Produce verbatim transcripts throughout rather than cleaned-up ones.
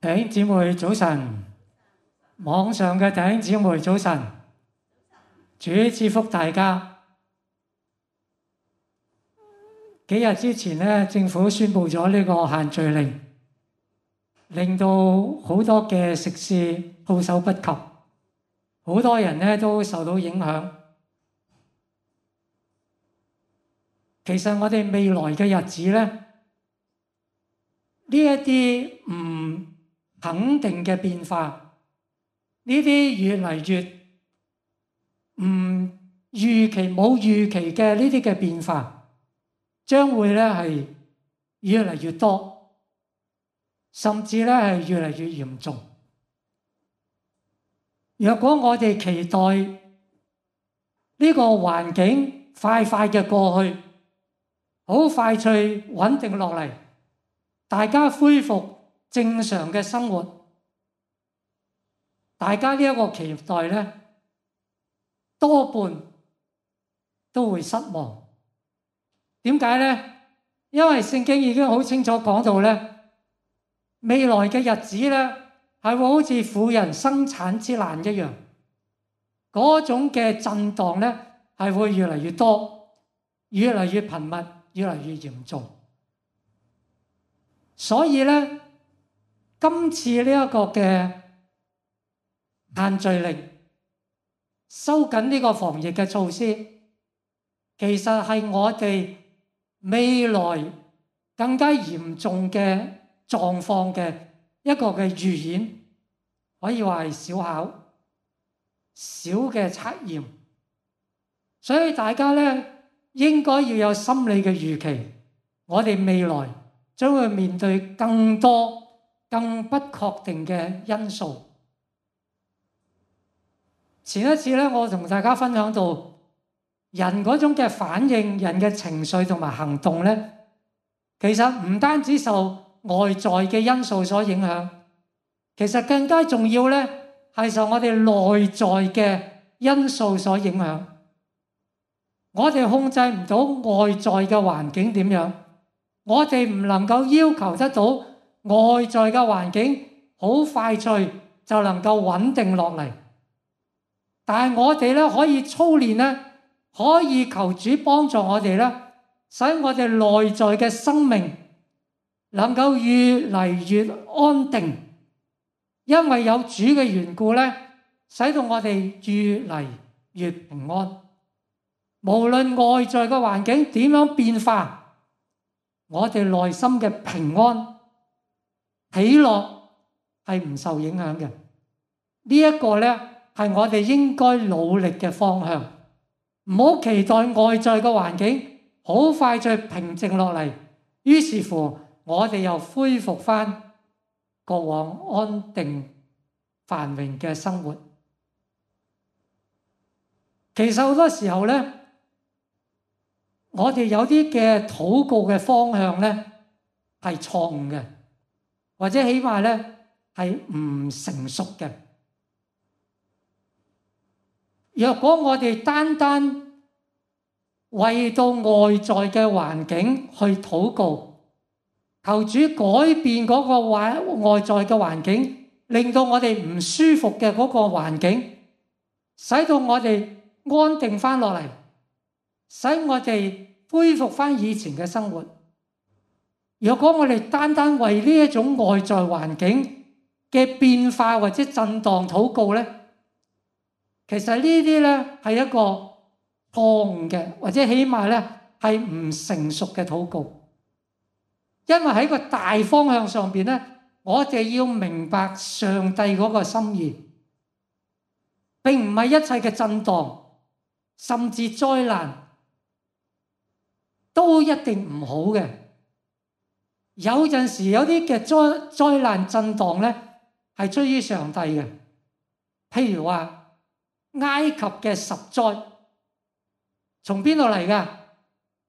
弟兄姊妹早晨，網上嘅弟兄姊妹早晨，主賜福大家。幾日之前咧，政府宣布咗呢個限聚令，令到好多嘅食肆措手不及，好多人咧都受到影響。其實我哋未來嘅日子咧，呢一啲唔肯定嘅變化，呢啲越嚟越唔預期、冇預期嘅呢啲嘅變化，將會咧係越嚟越多，甚至咧係越嚟越嚴重。若果我哋期待呢個環境快快嘅過去，好快脆穩定落嚟，大家恢復正常嘅生活，大家呢一個期待咧，多半都會失望。點解咧？因為聖經已經好清楚講到咧，未來嘅日子咧係會好似婦人生產之難一樣，嗰種嘅震盪咧係會越嚟越多，越嚟越頻密，越嚟越嚴重。所以咧，今次呢一個嘅限聚令，收緊呢個防疫嘅措施，其實係我哋未來更加嚴重嘅狀況嘅一個嘅預演，可以話係小考、小嘅測驗。所以大家咧應該要有心理嘅預期，我哋未來將會面對更多更不確定嘅因素。前一次咧，我同大家分享到人嗰種嘅反應、人嘅情緒同埋行動咧，其實唔單止受外在嘅因素所影響，其實更加重要咧係受我哋內在嘅因素所影響。我哋控制唔到外在嘅環境點樣，我哋唔能夠要求得到外在嘅環境好快脆就能夠穩定落嚟。但係我哋咧可以操練咧，可以求主幫助我哋咧，使我哋內在嘅生命能夠越嚟越安定，因為有主嘅緣故咧，使到我哋越嚟越平安。無論外在嘅環境點樣變化，我哋內心嘅平安喜樂係唔受影響嘅。呢一個咧係我哋應該努力嘅方向。唔好期待外在嘅環境好快就平靜落嚟，於是乎我哋又恢復翻過往安定繁榮嘅生活。其實好多時候咧，我哋有啲嘅禱告嘅方向咧係錯誤嘅，或者起碼咧係唔成熟嘅。若果我哋單單為到外在嘅環境去禱告，求主改變嗰個外外在嘅環境，令到我哋唔舒服嘅嗰個環境，使到我哋安定翻落嚟，使我哋恢復翻以前嘅生活。若果我哋單單為呢一種外在環境嘅變化或者震盪禱告咧，其實呢啲咧係一個錯誤嘅，或者起碼咧係唔成熟嘅禱告。因為喺個大方向上邊咧，我哋要明白上帝嗰個心意，並唔係一切嘅震盪甚至災難都一定唔好嘅。有陣時有啲嘅災災難震盪咧係出於上帝嘅，譬如話埃及嘅十災，從邊度嚟㗎？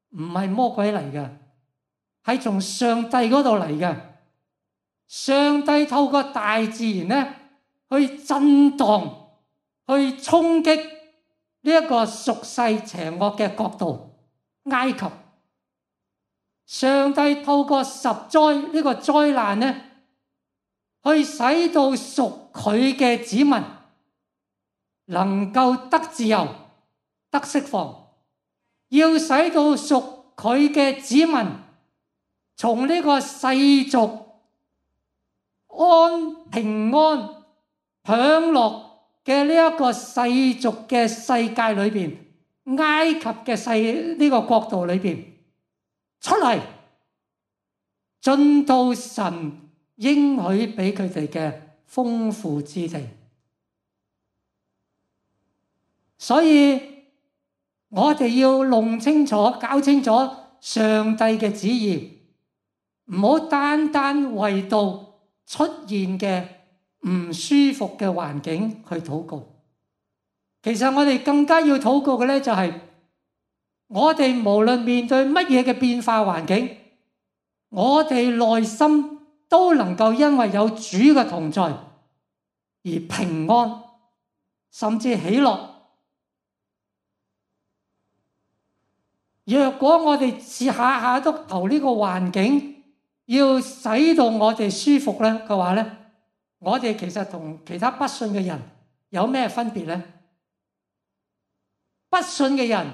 唔係魔鬼嚟㗎，係從上帝嗰度嚟㗎。上帝透過大自然咧，去震盪、去衝擊呢一個屬世邪惡嘅國度埃及。上帝透過十災呢個災難咧，去使到屬佢嘅子民能夠得自由、得釋放，要使到屬佢嘅子民從呢個世俗安平安享樂嘅呢一個世俗嘅世界裏邊，埃及嘅世呢個國度裏邊出嚟，進到神應許俾佢哋嘅豐富之地。所以我哋要弄清楚、搞清楚上帝嘅旨意，唔好單單為到出現嘅唔舒服嘅環境去禱告。其實我哋更加要禱告嘅咧，就係我哋無論面對乜嘢嘅變化環境，我哋內心都能夠因為有主嘅同在而平安，甚至喜樂。若果我哋下下都求呢個環境要使到我哋舒服咧嘅話咧，我哋其實同其他不信嘅人有咩分別咧？不信嘅人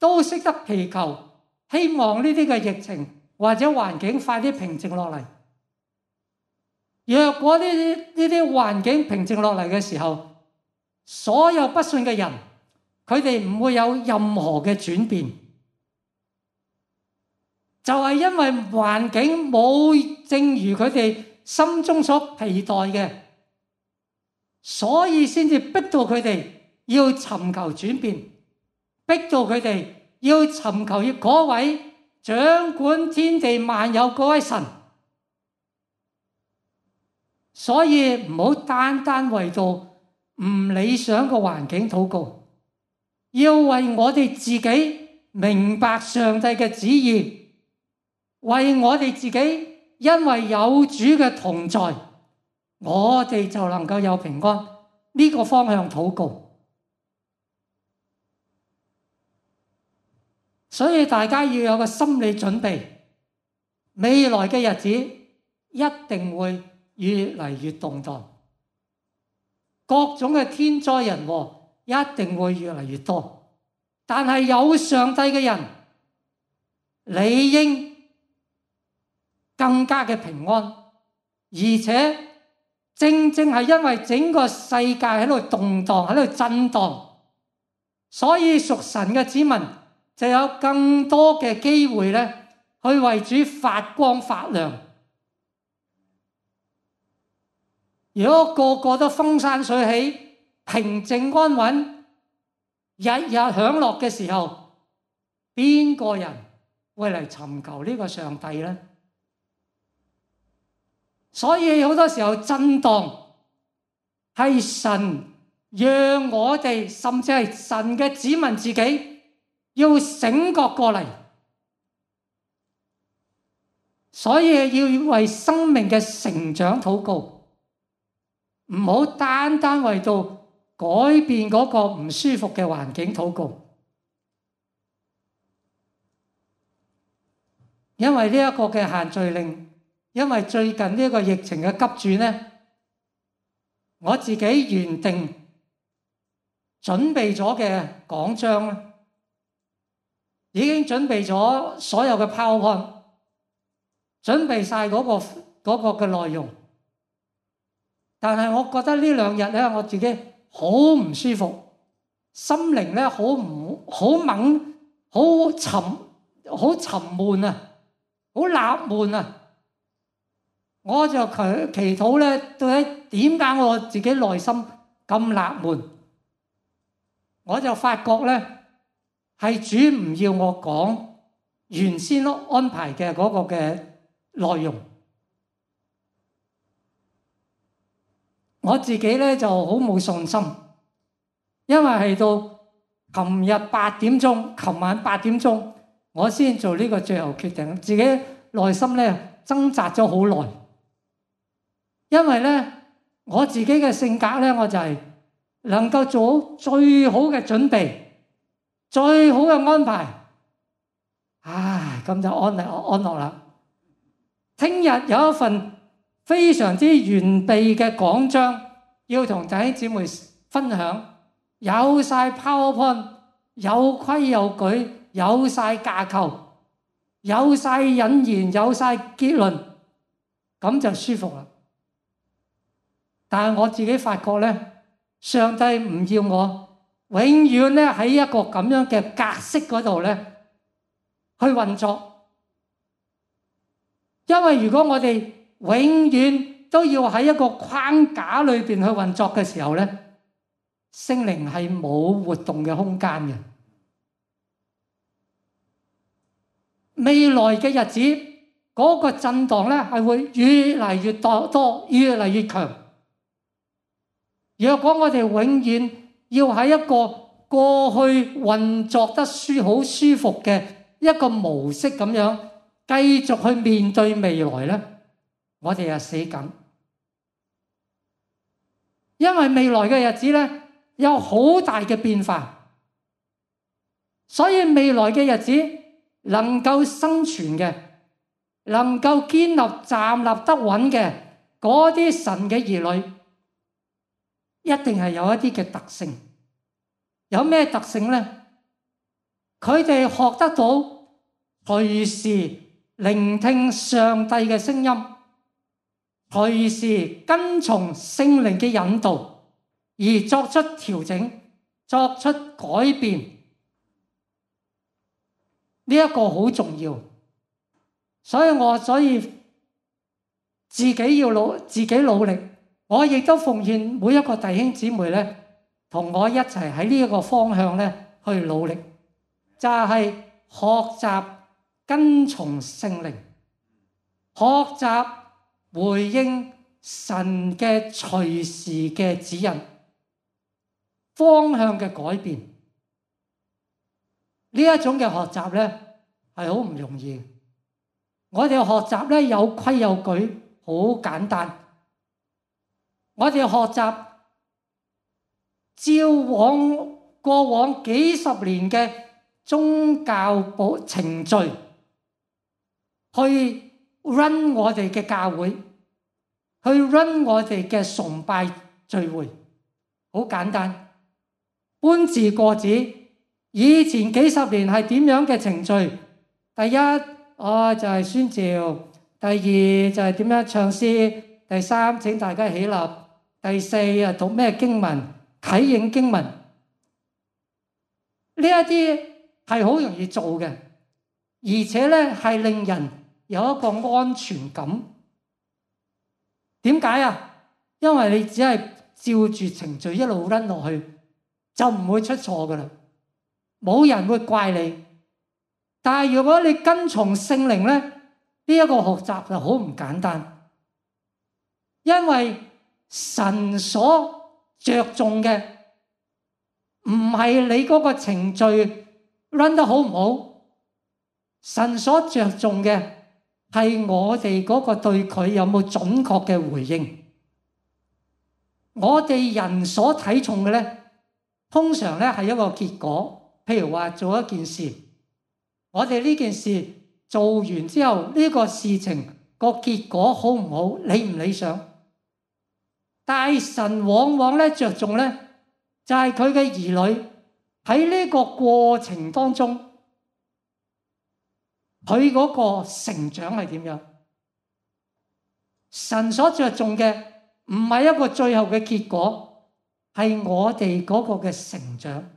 都識得祈求，希望呢啲嘅疫情或者環境快啲平靜落嚟。若果呢啲呢啲環境平靜落嚟嘅時候，所有不信嘅人，佢哋唔會有任何嘅轉變。就係因為環境冇正如佢哋心中所期待嘅，所以先至逼到佢哋要尋求轉變，逼到佢哋要尋求嗰位掌管天地萬有嗰位神。所以唔好單單為到唔理想嘅環境禱告，要為我哋自己明白上帝嘅旨意，為我哋自己，因為有主嘅同在，我哋就能夠有平安。呢個方向禱告。所以大家要有個心理準備，未來嘅日子一定會越嚟越動盪，各種嘅天災人禍一定會越嚟越多。但係有上帝嘅人，理應更加嘅平安，而且正正係因為整個世界喺度動盪，喺度震盪，所以屬神嘅子民就有更多嘅機會咧，去為主發光發亮。如果個個都風生水起、平靜安穩、日日享樂嘅時候，邊個人會嚟尋求呢個上帝呢？所以好多時候震盪係神讓我哋，甚至係神嘅子民自己要醒覺過嚟，所以要為生命嘅成長禱告，唔好單單為到改變嗰個唔舒服嘅環境禱告。因為呢一個嘅限聚令，因為最近呢個疫情嘅急轉呢，我自己原定準備咗嘅講章咧，已經準備咗所有嘅 PowerPoint，準備晒嗰個嗰個嘅內容。但係我覺得呢兩日咧，我自己好唔舒服，心靈咧好唔好猛，好沉好沉悶啊，好納悶啊！我就祈祈禱咧，到底點解我自己內心咁納悶？我就發覺咧，係主唔要我講原先安排嘅嗰個嘅內容。我自己咧就好冇信心，因為係到琴日八點鐘，琴晚八點鐘，我先做呢個最後決定。自己內心咧掙扎咗好耐，因為咧我自己嘅性格咧，我就係能夠做好最好嘅準備，最好嘅安排。唉，咁就安樂安樂啦。聽日有一份非常之完備嘅講章，要同弟兄姊妹分享，有晒 PowerPoint， 有規有矩，有晒架構，有晒引言，有晒結論，咁就舒服啦。但係我自己發覺咧，上帝唔要我永遠咧喺一個咁樣嘅格式嗰度咧去運作，因為如果我哋永遠都要喺一個框架裏邊去運作嘅時候咧，聖靈係冇活動嘅空間嘅。未來嘅日子嗰個震盪咧係會越嚟越多多，越嚟越強。若果我哋永遠要喺一個過去運作得舒好舒服嘅一個模式咁樣繼續去面對未來咧，我哋係死緊。因為未來嘅日子咧有好大嘅變化，所以未來嘅日子能夠生存嘅，能夠堅立站立得穩嘅嗰啲神嘅兒女，一定係有一啲嘅特性。有咩特性呢？佢哋學得到隨時聆聽上帝嘅聲音，隨時跟從聖靈嘅引導而作出調整，作出改變。呢一個好重要，所以我所以自己要努自己努力。我亦都奉獻每一個弟兄姊妹咧，同我一齊喺呢一個方向咧去努力，就係學習跟從聖靈，學習回應神嘅隨時嘅指引，方向嘅改變。呢一種嘅學習咧係好唔容易。我哋學習咧有規有矩，好簡單。我哋學習照往過往幾十年嘅宗教保程序去 run 我哋嘅教會，去 run 我哋嘅崇拜聚會，好簡單，搬字過紙。以前幾十年係點樣嘅程序？第一，哦就係宣召；第二就係點樣唱詩；第三，請大家起立。第四啊，讀咩經文？啟應經文。呢一啲係好容易做嘅，而且咧係令人有一個安全感。點解啊？因為你只係照住程序一路 run 落去，就唔會出錯噶啦，冇人會怪你。但係如果你跟從聖靈咧，呢一個學習就好唔簡單，因為神所着重嘅唔係你嗰個程序 run 得好唔好，神所着重嘅係我哋嗰個對佢有冇準確嘅回應。我哋人所睇重嘅咧，通常咧係一個結果。譬如話做一件事，我哋呢件事做完之後，呢個事情個結果好唔好，理唔理想？但神往往咧着重咧，就係佢嘅兒女喺呢個過程當中，佢嗰個成長係點樣？神所着重嘅唔係一個最後嘅結果，係我哋嗰個嘅成長。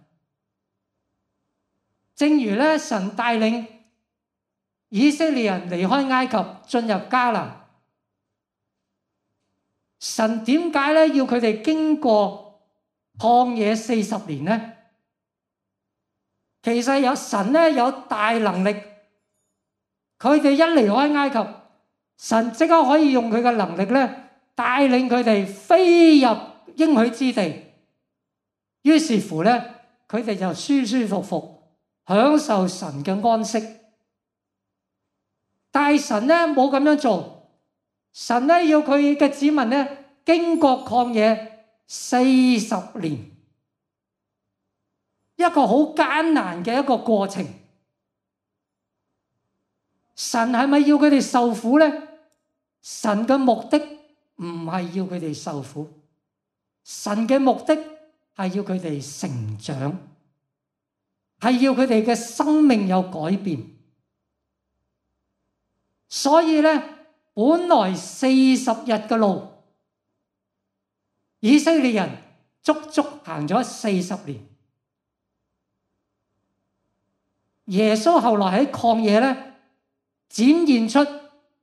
正如咧，神帶領以色列人離開埃及進入迦南。神點解咧要佢哋經過曠野四十年呢？其實有神咧有大能力，佢哋一離開埃及，神即刻可以用佢嘅能力咧帶領佢哋飛入應許之地。於是乎咧，佢哋就舒舒服服享受神嘅安息。但係神咧冇咁樣做，神咧要佢嘅子民咧經過曠野四十年，一個好艱難嘅一個過程。神係咪要佢哋受苦咧？神嘅目的唔係要佢哋受苦，神嘅目的係要佢哋成長，係要佢哋嘅生命有改變。所以咧，本來四十日嘅路，以色列人足足行咗四十年。耶穌後來喺曠野咧，展現出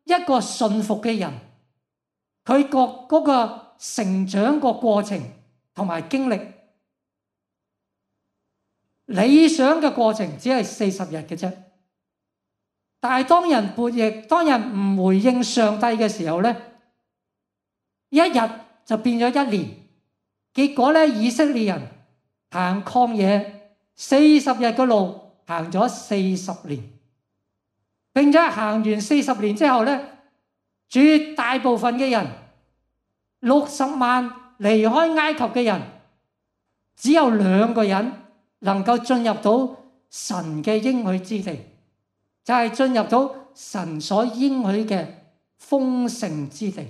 一個順服嘅人，佢個嗰個成長個過程同埋經歷。理想嘅過程只係四十日嘅啫，但係當人叛逆，當人唔回應上帝嘅時候咧，一日就變咗一年。結果咧，以色列人行曠野四十日嘅路，行咗四十年，並且行完四十年之後咧，絕大部分嘅人，六十萬離開埃及嘅人，只有兩個人能夠進入到神嘅應許之地，就係進入到神所應許嘅豐盛之地。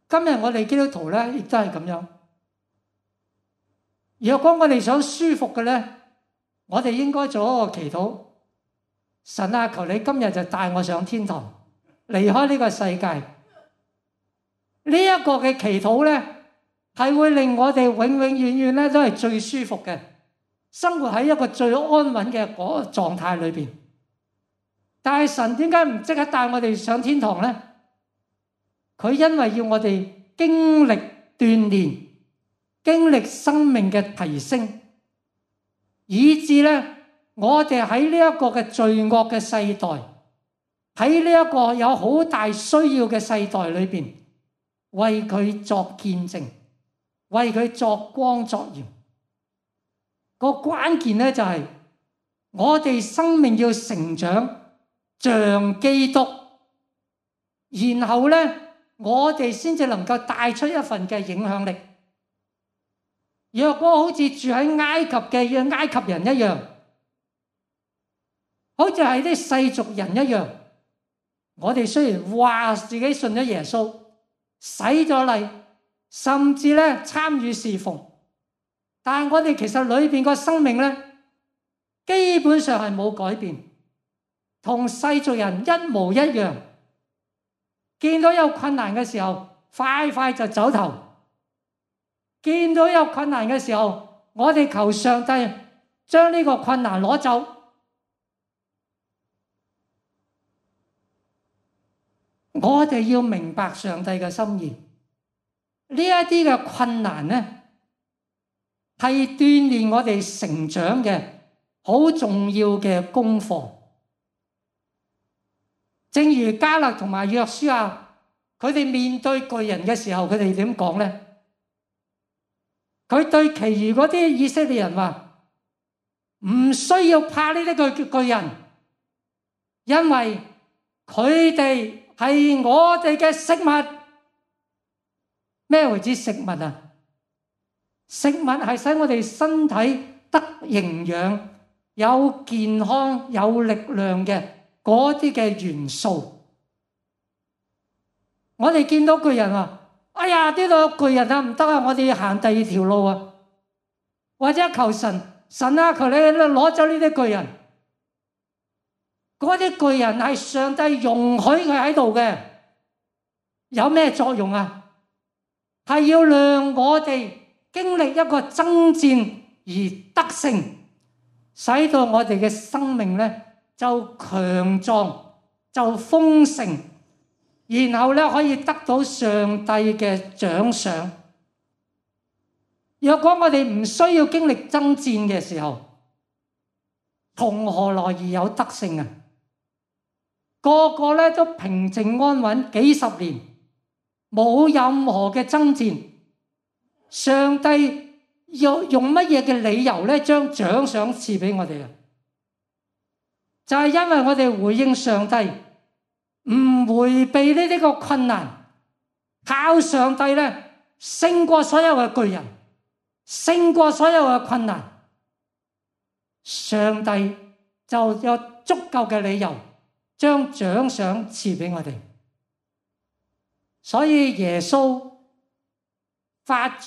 今日我哋基督徒咧，亦都係咁樣。若果我哋想舒服嘅咧，我哋應該做一個祈禱：神啊，求你今日就帶我上天堂，離開呢個世界。呢一個嘅祈禱咧，係會令我哋永永遠遠咧都係最舒服嘅，生活喺一個最安穩嘅嗰個狀態裏邊。但係神點解唔即刻帶我哋上天堂咧？佢因為要我哋經歷鍛鍊，經歷生命嘅提升，以致咧我哋喺呢一個嘅罪惡嘅世代，喺呢一個有好大需要嘅世代裏邊，為佢作見證，為佢作光作鹽。個關鍵咧就係我哋生命要成長，像基督，然後咧我哋先至能夠帶出一份嘅影響力。若果好似住喺埃及嘅埃及人一樣，好似係啲世俗人一樣，我哋雖然話自己信咗耶穌，洗咗禮，甚至咧參與侍奉，但係我哋其實裏邊個生命咧，基本上係冇改變，同世俗人一模一樣。見到有困難嘅時候，快快就走頭；見到有困難嘅時候，我哋求上帝將呢個困難攞走。我哋要明白上帝嘅心意。呢一啲嘅困難呢，係鍛鍊我哋成長嘅好重要嘅功課。正如迦勒同埋約書亞，佢哋面對巨人嘅時候，佢哋點講呢？佢對其餘嗰啲以色列人話：唔需要怕呢啲巨巨人，因為佢哋係我哋嘅食物。咩為之食物啊？食物係使我哋身體得營養、有健康、有力量嘅嗰啲嘅元素。我哋見到巨人啊，哎呀，呢度有巨人啊，唔得啊，我哋要行第二條路啊，或者求神，神啊，求你攞走呢啲巨人。嗰啲巨人係上帝容許佢喺度嘅，有咩作用啊？係要讓我哋經歷一個爭戰而得勝，使到我哋嘅生命咧就強壯，就豐盛，然後咧可以得到上帝嘅獎賞。若果我哋唔需要經歷爭戰嘅時候，從何來而有得勝啊？個個咧都平靜安穩幾十年，冇任何嘅爭戰。上帝用用乜嘢嘅理由咧將獎賞賜俾我哋啊？就係因為我哋回應上帝，唔迴避呢啲個困難，靠上帝咧勝過所有嘅巨人，勝過所有嘅困難。上帝就有足夠嘅理由將獎賞賜俾我哋。所以耶穌發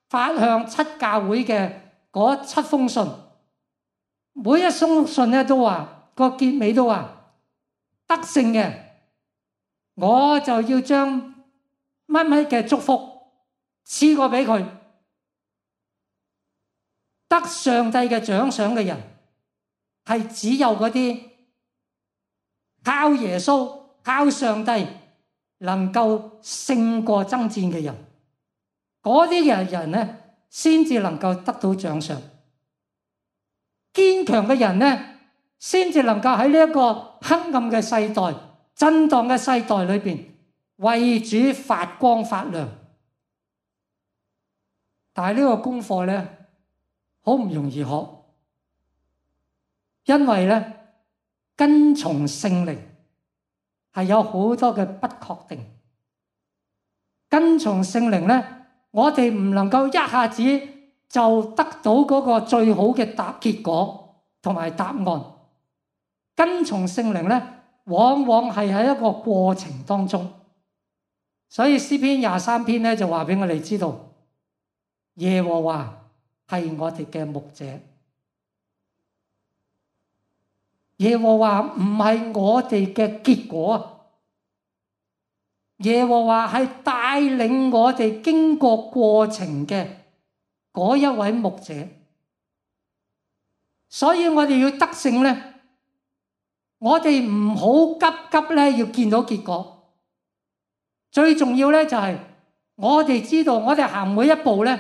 發向七教會嘅嗰七封信，每一封信咧都話個結尾都話得勝嘅，我就要將乜乜嘅祝福賜過俾佢。得上帝嘅獎賞嘅人係只有嗰啲靠耶穌、靠上帝能夠勝過爭戰嘅人，嗰啲嘅人咧先至能夠得到獎賞。堅強嘅人咧，先至能夠喺呢一個黑暗嘅世代、震盪嘅世代裏邊，為主發光發亮。但係呢個功課咧，好唔容易學，因為咧跟從聖靈係有好多嘅不確定。跟從聖靈咧，我哋唔能夠一下子就得到嗰個最好嘅答結果同埋答案。跟從聖靈咧，往往係喺一個過程當中。所以詩篇廿三篇咧就話俾我哋知道，耶和華係我哋嘅牧者。耶和華唔係我哋嘅結果，耶和華係帶領我哋經過過程嘅嗰一位牧者。所以我哋要得勝咧，我哋唔好急急咧要見到結果。最重要咧就係我哋知道，我哋行每一步咧，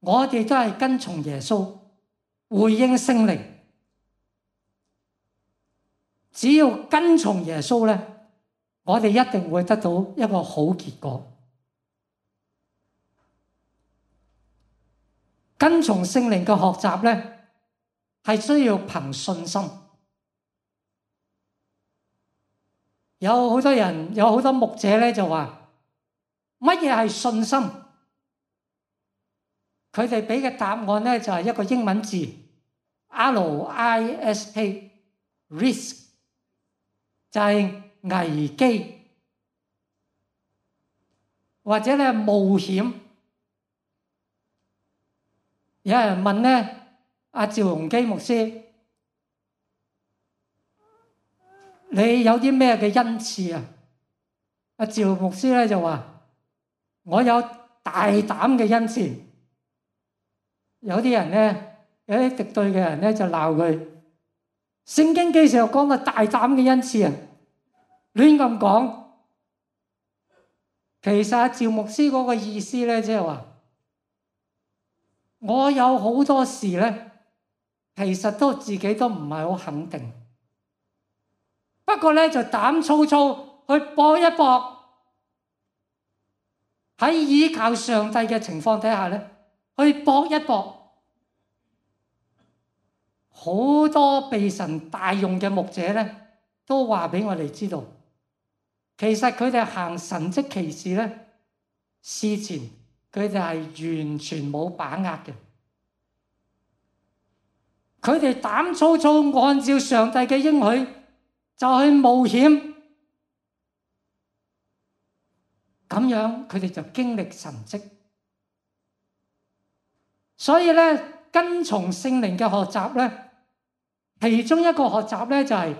我哋都係跟從耶穌，回應聖靈。只要跟從耶穌咧，我哋一定會得到一個好結果。跟從聖靈嘅學習咧，係需要憑信心。有好多人，有好多牧者咧就話，乜嘢係信心？佢哋俾嘅答案咧就係一個英文字 R I S K，risk 就係危機或者咧冒險。有人問咧阿趙鏞基牧師，你有啲咩嘅恩賜啊？阿趙牧師咧就話，我有大膽嘅恩賜。有啲人咧，有啲敵對嘅人咧就鬧佢，聖經幾時又講到大膽嘅恩賜啊？亂咁講。其實阿趙牧師嗰個意思咧，即係話我有好多事咧，其實都自己都唔係好肯定。不過咧就膽粗粗去搏一搏，喺依靠上帝嘅情況底下咧，去搏一搏。好多被神大用嘅牧者咧，都話俾我哋知道，其實佢哋行神蹟奇事咧，事前佢哋係完全冇把握嘅。佢哋膽粗粗按照上帝嘅應許就去冒險，咁樣佢哋就經歷神蹟。所以咧，跟從聖靈嘅學習咧，其中一個學習咧就係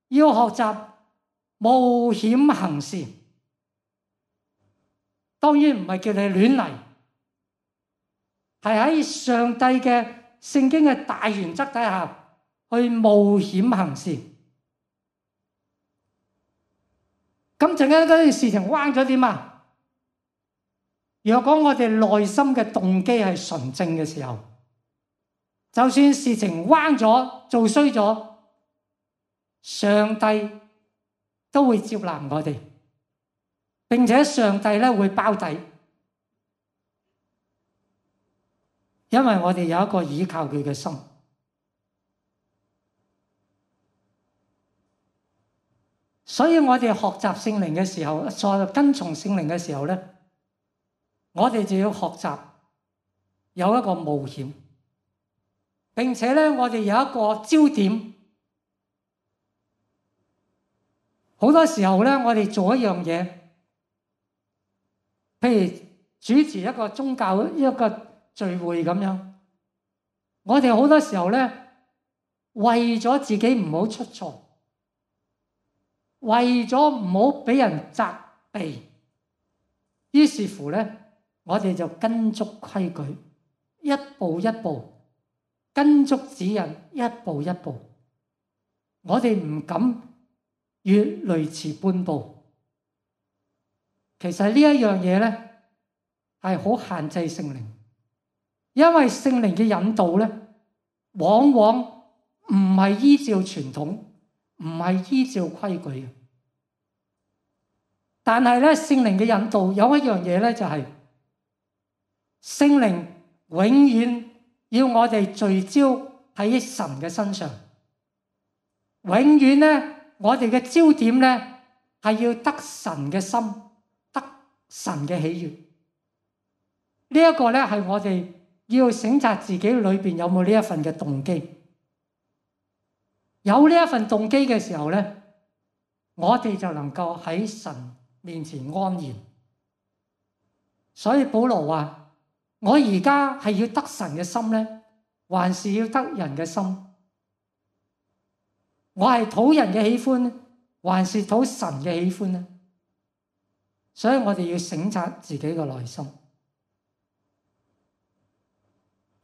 要學習冒險行事。當然唔係叫你亂嚟，係喺上帝嘅聖經嘅大原則底下去冒險行事。咁陣間嗰件事情彎咗點啊？若果我哋內心嘅動機係純正嘅時候，就算事情彎咗、做衰咗，上帝都會接納我哋，並且上帝咧會包底，因為我哋有一個倚靠佢嘅心。所以我哋學習聖靈嘅時候，再跟從聖靈嘅時候咧，我哋就要學習有一個冒險，並且咧我哋有一個焦點。好多時候咧，我哋做一樣嘢，譬如主持一個宗教一個聚會咁樣，我哋好多時候咧，為咗自己唔好出錯，為咗唔好俾人責備，於是乎咧，我哋就跟足規矩，一步一步跟足指引，一步一步，我哋唔敢越雷池半步。其實呢一樣嘢咧係好限制聖靈，因為聖靈嘅引導咧，往往唔係依照傳統，唔係依照規矩嘅。但係咧，聖靈嘅引導有一樣嘢咧，就係聖靈永遠要我哋聚焦喺神嘅身上，永遠咧，我哋嘅焦點咧係要得神嘅心，得神嘅喜悅。呢一個咧係我哋要省察自己裏邊有冇呢一份嘅動機。有呢一份動機嘅時候咧，我哋就能夠喺神面前安然。所以保羅話：我而家係要得神嘅心咧，還是要得人嘅心？我係討人嘅喜歡，還是討神嘅喜歡呢？所以我哋要省察自己嘅內心，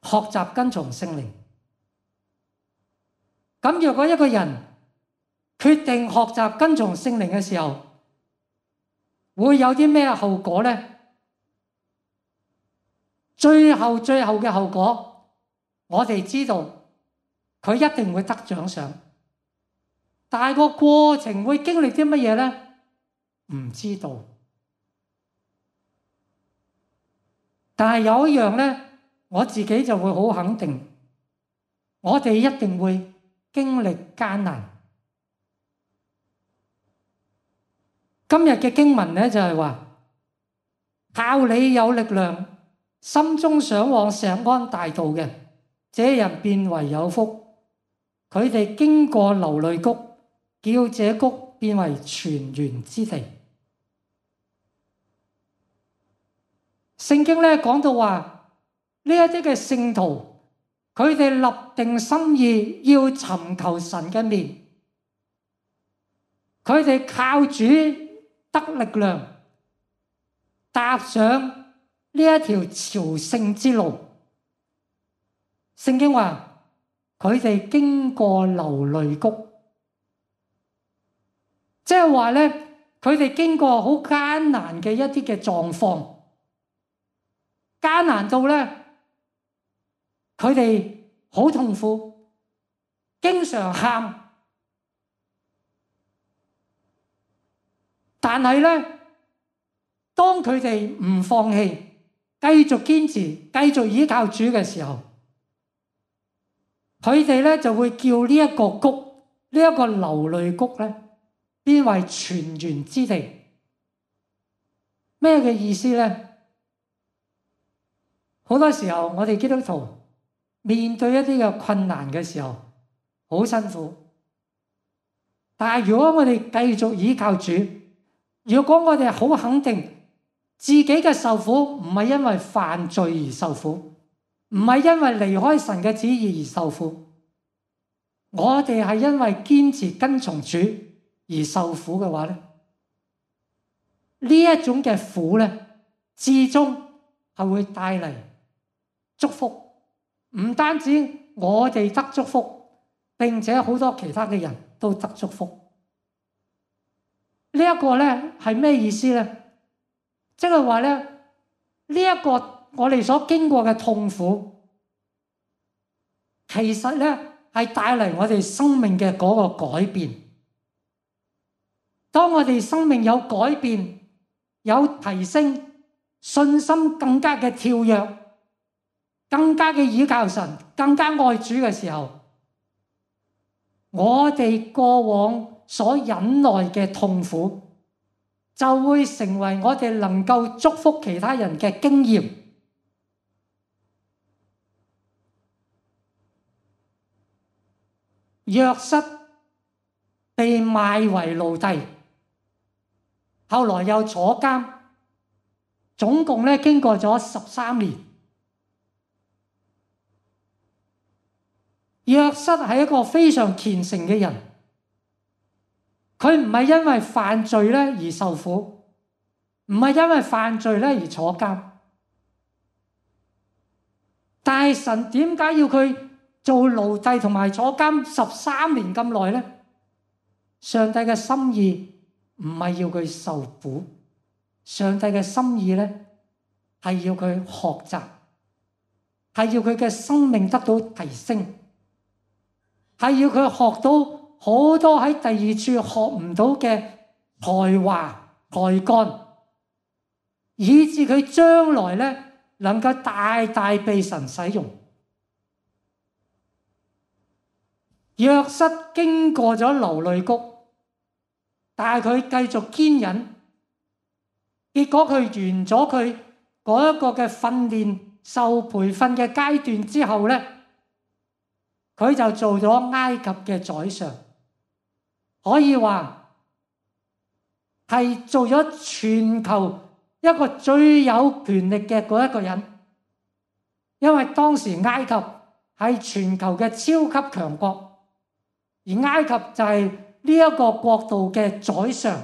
學習跟從聖靈。咁若果一個人決定學習跟從聖靈嘅時候，會有啲咩後果呢？最後最後嘅後果，我哋知道佢一定會得獎賞，但係個過程會經歷啲乜嘢呢？唔知道。但係有一樣呢，我自己就會好肯定，我哋一定會經歷艱難。今日嘅經文咧就係話，靠你有力量，心中想往錫安大道嘅，這人便為有福。佢哋經過流淚谷，叫這谷變為泉源之地。聖經咧講到話，呢一啲嘅聖徒，佢哋立定心意要尋求神嘅面，佢哋靠主得力量，踏上呢一條朝聖之路。聖經話佢哋經過流淚谷，即係話咧，佢哋經過好艱難嘅一啲嘅狀況，艱難到咧，佢哋好痛苦，經常喊。但係咧，當佢哋唔放棄，繼續堅持，繼續依靠主嘅時候，佢哋咧就會叫呢一個谷，呢一個流淚谷咧，變為泉源之地。咩嘅意思咧？好多時候我哋基督徒面對一啲嘅困難嘅時候，好辛苦。但係如果我哋繼續依靠主，如果我哋好肯定自己嘅受苦唔係因為犯罪而受苦，唔係因為離開神嘅旨意而受苦，我哋係因為堅持跟從主而受苦嘅話咧，呢一種嘅苦咧，至終係會帶嚟祝福，唔單止我哋得祝福，並且好多其他嘅人都得祝福。呢一個咧係咩意思咧？即係話咧，呢一個我哋所經過嘅痛苦，其實咧係帶嚟我哋生命嘅嗰個改變。當我哋生命有改變、有提升，信心更加嘅跳躍，更加嘅倚靠神，更加愛主嘅時候，我哋過往所忍耐嘅痛苦，就會成為我哋能夠祝福其他人嘅經驗。約瑟被賣為奴隸，後來又坐監，總共咧經過咗十三年。約瑟係一個非常虔誠嘅人，佢唔係因為犯罪咧而受苦，唔係因為犯罪咧而坐監。但係神點解要佢做奴隸同埋坐監十三年咁耐呢？上帝嘅心意唔係要佢受苦，上帝嘅心意咧係要佢學習，係要佢嘅生命得到提升，係要佢學到好多喺第二處學唔到嘅才華才幹，以致佢將來咧能夠大大被神使用。約瑟經過咗流淚谷，但係佢繼續堅忍，結果佢完咗佢嗰一個嘅訓練受培訓嘅階段之後咧，佢就做咗埃及嘅宰相，可以話係做咗全球一個最有權力嘅嗰一個人，因為當時埃及係全球嘅超級強國。而埃及就係呢一個國度嘅宰相。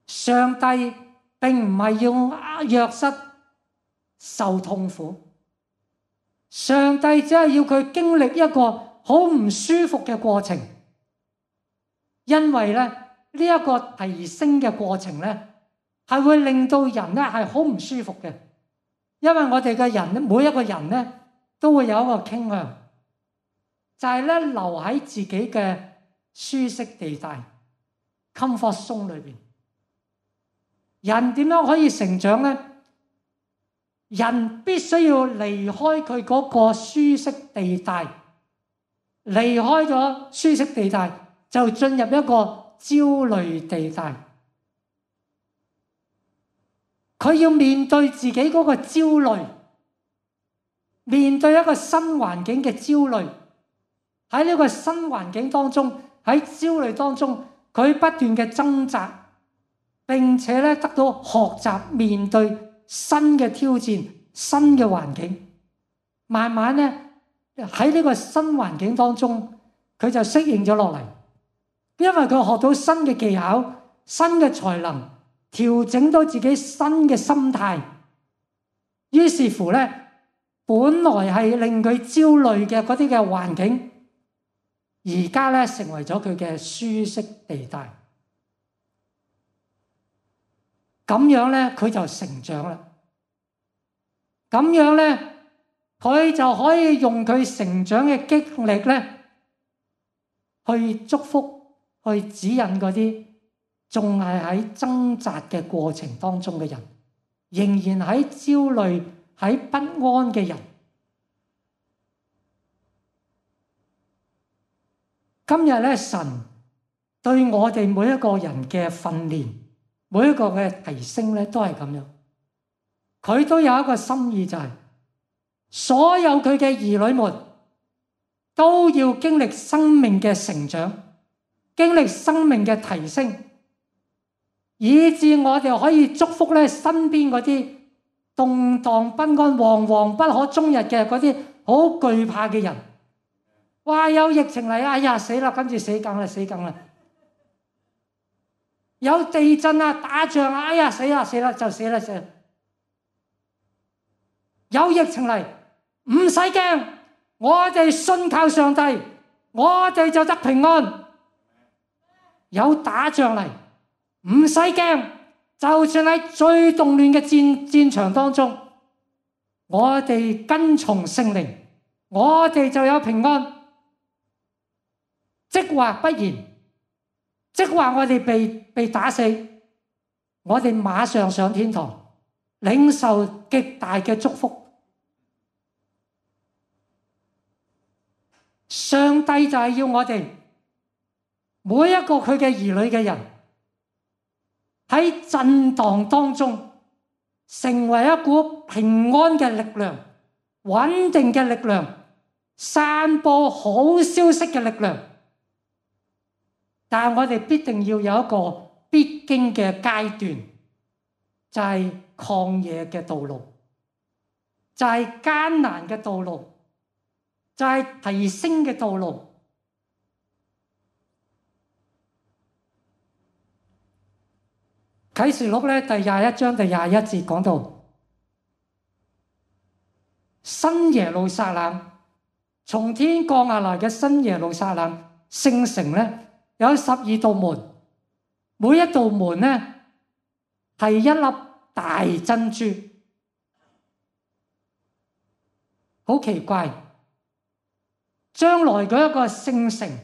上帝並唔係要約瑟受痛苦，上帝只係要佢經歷一個好唔舒服嘅過程，因為咧呢一個提升嘅過程咧係會令到人咧係好唔舒服嘅，因為我哋嘅人每一個人咧都會有一個傾向，就係咧留喺自己嘅舒適地帶 comfort zone 裏邊。人點樣可以成長呢？人必須要離開佢嗰個舒適地帶，離開咗舒適地帶就進入一個焦慮地帶。佢要面對自己嗰個焦慮，面對一個新環境嘅焦慮，喺呢個新環境當中，喺焦慮當中，佢不斷嘅掙扎，並且咧得到學習面對新嘅挑戰、新嘅環境。慢慢咧喺呢個新環境當中，佢就適應咗落嚟，因為佢學到新嘅技巧、新嘅才能，調整到自己新嘅心態。於是乎咧，本來係令佢焦慮嘅嗰啲嘅環境，而家咧成為咗佢嘅舒適地帶。咁樣咧，佢就成長啦。咁樣咧，佢就可以用佢成長嘅經歷咧，去祝福、去指引嗰啲仲係喺掙扎嘅過程當中嘅人，仍然喺焦慮、喺不安嘅人。今日咧，神對我哋每一個人嘅訓練，每一個嘅提升咧，都係咁樣。佢都有一個心意，就係所有佢嘅兒女們都要經歷生命嘅成長，經歷生命嘅提升，以致我哋可以祝福咧身邊嗰啲動盪不安、惶惶不可終日嘅嗰啲好懼怕嘅人。哇！有疫情嚟，哎呀死啦，跟住死梗啦，死梗啦！有地震啊，打仗啊，哎呀死啦死啦就死啦死啦！有疫情嚟，唔使驚，我哋信靠上帝，我哋就得平安。有打仗嚟，唔使驚，就算喺最動亂嘅戰戰場當中，我哋跟從聖靈，我哋就有平安。即或不然，即或我哋被被打死，我哋馬上上天堂，領受極大嘅祝福。上帝就係要我哋每一個佢嘅兒女嘅人喺震盪當中，成為一股平安嘅力量、穩定嘅力量、散播好消息嘅力量。但係我哋必定要有一個必經嘅階段，就係曠野嘅道路，就係艱難嘅道路，就係提升嘅道路。啟示錄咧第廿一章第廿一節講到，新耶路撒冷，從天降下來嘅新耶路撒冷聖城咧，有十二道門，每一道門咧係一粒大珍珠。好奇怪，將來嗰一個聖城，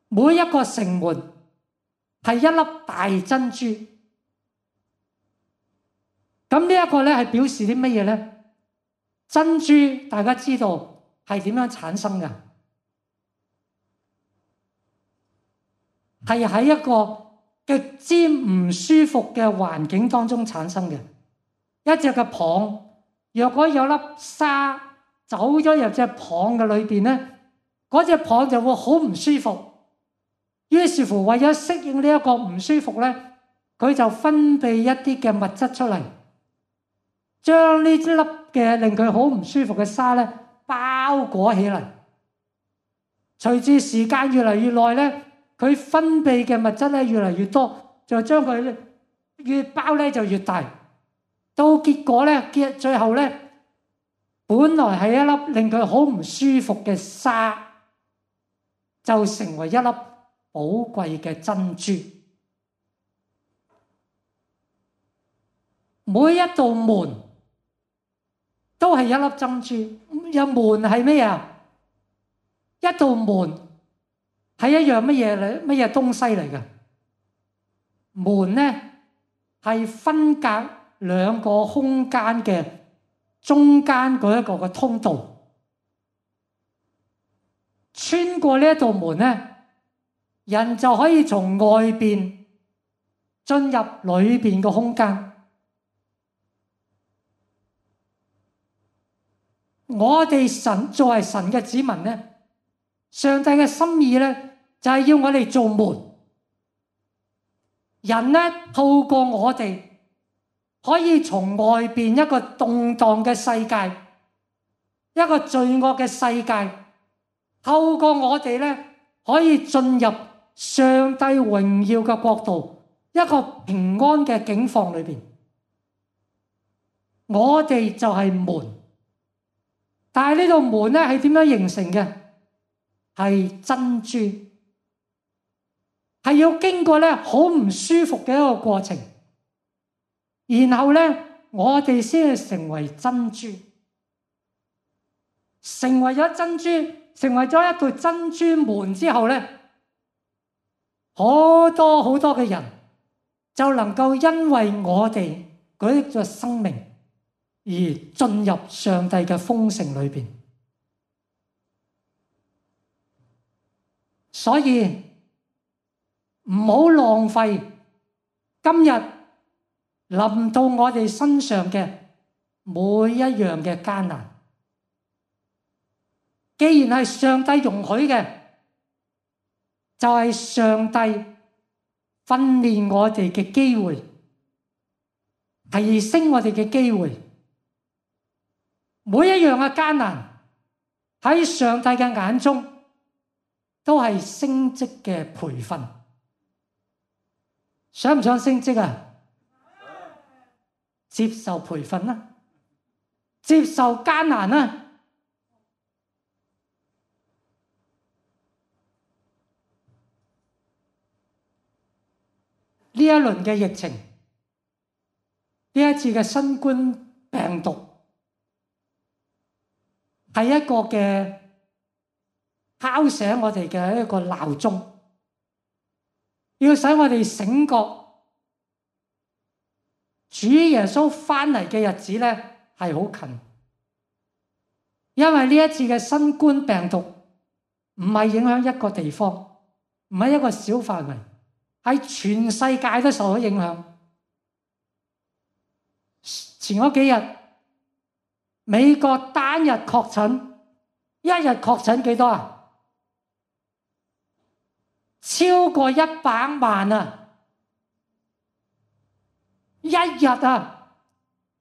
每一個城門係一粒大珍珠。咁呢一個咧係表示啲乜嘢咧？珍珠大家知道係點樣產生嘅？係喺一個極之唔舒服嘅環境當中產生嘅。一隻嘅蚌，若果有粒沙走咗入隻蚌嘅裏邊咧，嗰隻蚌就會好唔舒服。於是乎，為咗適應呢一個唔舒服咧，佢就分泌一啲嘅物質出嚟，將呢粒嘅令佢好唔舒服嘅沙咧包裹起嚟。隨住時間越嚟越耐咧，佢分泌嘅物質咧越嚟越多，就將佢越包咧就越大。到結果咧，結最後咧，本來係一粒令佢好唔舒服嘅沙，就成為一粒寶貴嘅珍珠。每一道門都係一粒珍珠。有門係咩啊？一道門係一樣乜嘢嚟？乜嘢東西嚟嘅？門咧係分隔兩個空間嘅中間嗰一個嘅通道。穿過呢一道門咧，人就可以從外邊進入裏邊嘅空間。我哋神作為神嘅子民咧，上帝嘅心意咧就係要我哋做門。人咧透過我哋可以從外邊一個動盪嘅世界，一個罪惡嘅世界，透過我哋咧可以進入上帝榮耀嘅國度，一個平安嘅境況裏邊。我哋就係門，但係呢道門咧係點樣形成嘅？係珍珠，係要經過咧好唔舒服嘅一個過程，然後咧我哋先係成為珍珠，成為咗珍珠，成為咗一道珍珠門之後咧，好多好多嘅人就能夠因為我哋嗰一個生命而進入上帝嘅豐盛裏邊。所以唔好浪費今日臨到我哋身上嘅每一樣嘅艱難。既然係上帝容許嘅，就係上帝訓練我哋嘅機會，提升我哋嘅機會。每一樣嘅艱難喺上帝嘅眼中都係升職嘅培訓。想唔想升職啊？接受培訓啦，接受艱難啦。呢一輪嘅疫情，呢一次嘅新冠病毒，係一個嘅敲醒我哋嘅一個鬧鐘，要使我哋醒覺，主耶穌翻嚟嘅日子咧係好近。因為呢一次嘅新冠病毒唔係影響一個地方，唔係一個小範圍，喺全世界都受到影響。前嗰幾日，美國單日確診，一日確診幾多啊？超過一百萬啊！一日啊，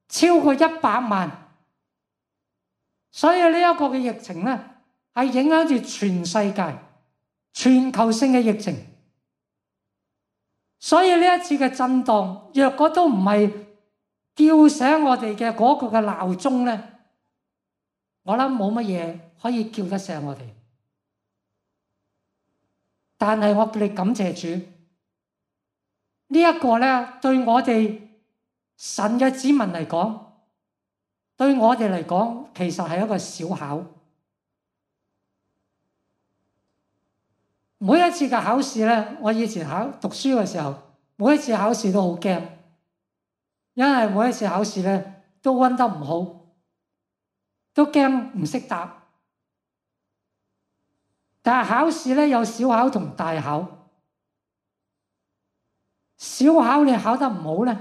超過一百萬。所以呢一個嘅疫情咧，係影響住全世界、全球性嘅疫情。所以呢一次嘅震盪，若果都唔係叫醒我哋嘅嗰個嘅鬧鐘咧，我諗冇乜嘢可以叫得醒我哋。但係我哋感謝主，呢一個咧對我哋神嘅子民嚟講，對我哋嚟講，其實係一個小考。每一次嘅考試咧，我以前考讀書嘅時候，每一次考試都好驚，因為每一次考試咧都溫得唔好，都驚唔識答。但係考試咧有小考同大考，小考你考得唔好咧，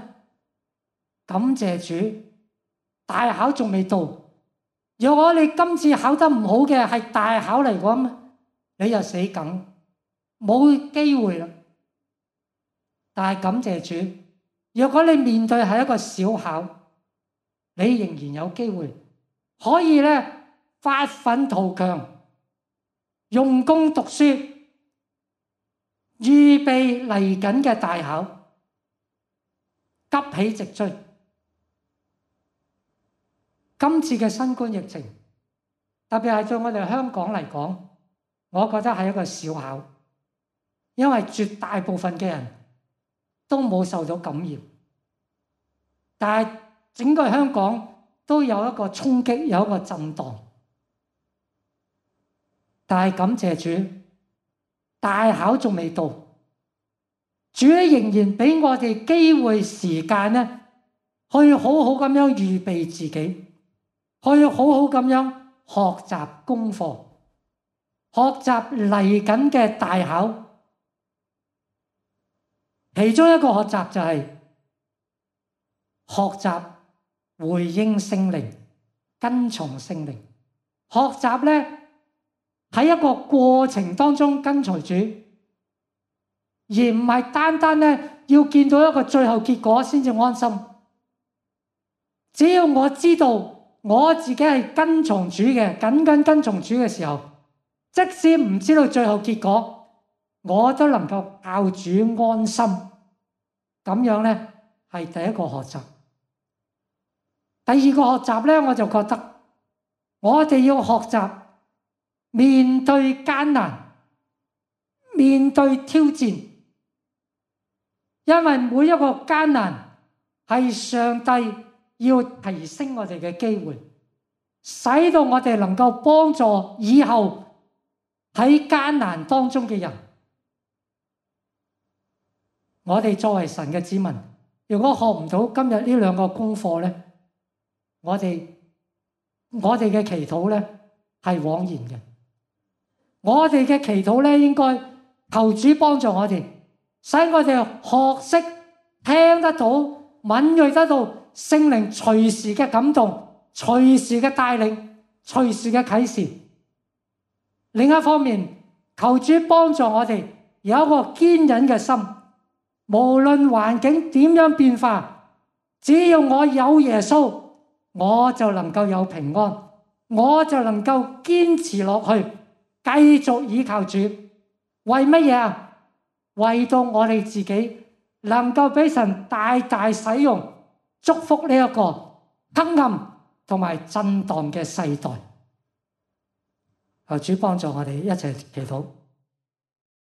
感謝主，大考仲未到。如果你今次考得唔好嘅係大考嚟講，你就死梗，冇機會啦。但係感謝主，如果你面對係一個小考，你仍然有機會可以咧發奮圖強，用功讀書，預備嚟緊嘅大考，急起直追。今次嘅新冠疫情，特別係對我哋香港嚟講，我覺得係一個小考，因為絕大部分嘅人都冇受到感染，但係整個香港都有一個衝擊，有一個震盪。但係感謝主，大考仲未到，主仍然俾我哋機會時間咧，去好好咁樣預備自己，去好好咁樣學習功課，學習嚟緊嘅大考。其中一個學習就係學習回應聖靈，跟從聖靈。學習咧喺一個過程當中跟隨主，而唔係單單咧要見到一個最後結果先至安心。只要我知道我自己係跟從主嘅，緊緊跟從主嘅時候，即使唔知道最後結果，我都能夠靠主安心。咁樣咧係第一個學習。第二個學習咧，我就覺得我哋要學習面對艱難，面對挑戰，因為每一個艱難係上帝要提升我哋嘅機會，使到我哋能夠幫助以後喺艱難當中嘅人。我哋作為神嘅子民，如果學唔到今日呢兩個功課咧，我哋我哋嘅祈禱咧係枉然嘅。我哋嘅祈禱咧應該求主幫助我哋，使我哋學識聽得到、敏銳得到聖靈隨時嘅感動、隨時嘅帶領、隨時嘅啟示。另一方面，求主幫助我哋有一個堅忍嘅心。無論環境點樣變化，只要我有耶穌，我就能夠有平安，我就能夠堅持落去，繼續依靠主。為乜嘢啊？為到我哋自己能夠俾神大大使用，祝福呢一個黑暗同埋震盪嘅世代。求主幫助我哋一齊祈禱。